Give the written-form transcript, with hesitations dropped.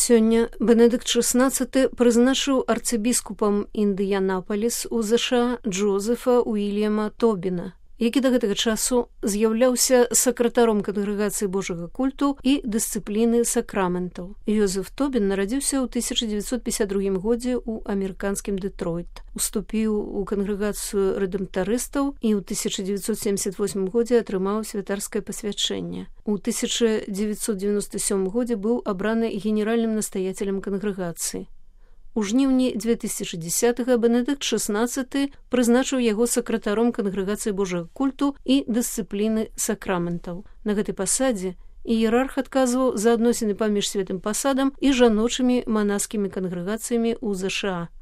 Сёння Бенедыкт XVI прызначыў арцыбіскупам Індыянапаліс у ЗША Джозефа Уільяма Тобіна, які да гэтага часу з'яўляўся сакратаром кангрэгацыі Божага культу і дысцыпліны сакраментаў. Йозеф Тобін нарадзіўся ў 1952 годзе ў амерыканскім Дэтройт, уступіў у кангрэгацыю рэдэмптарыстаў і ў 1978 годзе атрымаў святарскае пасвячэнне. У 1997 годзе быў абраны генеральным настаяцелем кангрэгацыі. У жніўні 2010-га Бенедыкт XVI прызначыў яго сакратаром кангрэгацыі Божага культу і дысцыпліны сакраментаў. На гэтай пасадзе іерарх адказваў за адносіны паміж святым пасадам і жаночымі манаскімі кангрэгацыямі ў ЗША.